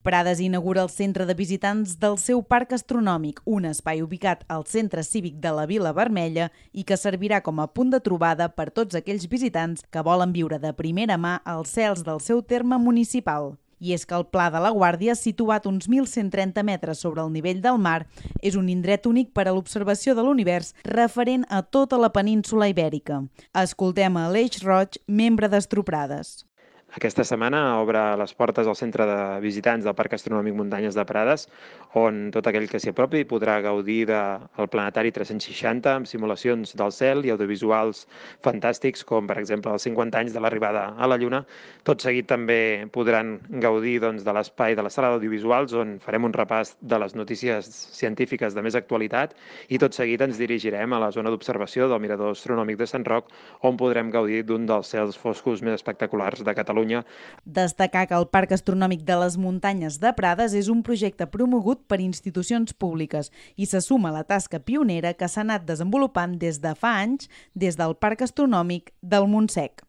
Prades inaugura el centre de visitants del seu parc astronòmic, un espai ubicat al centre cívic de la Vila Vermella i que servirà com a punt de trobada per tots aquells visitants que volen viure de primera mà els cels del seu terme municipal. I és que el Pla de la Guàrdia, situat uns 1.130 metres sobre el nivell del mar, és un indret únic per a l'observació de l'univers referent a tota la península ibèrica. Escoltem a Aleix Roig, membre d'Astroprades. Aquesta setmana obre les portes al centre de visitants del Parc Astronòmic Muntanyes de Prades, on tot aquell que s'hi apropi podrà gaudir del planetari 360 amb simulacions del cel i audiovisuals fantàstics, com per exemple els 50 anys de l'arribada a la Lluna. Tot seguit també podran gaudir de l'espai de la sala d'audiovisuals, on farem un repàs de les notícies científiques de més actualitat, i tot seguit ens dirigirem a la zona d'observació del Mirador Astronòmic de Sant Roc, on podrem gaudir d'un dels cels foscos més espectaculars de Catalunya. Destacar que el Parc Astronòmic de les Muntanyes de Prades és un projecte promogut per institucions públiques i se suma a la tasca pionera que s'ha anat desenvolupant des de fa anys des del Parc Astronòmic del Montsec.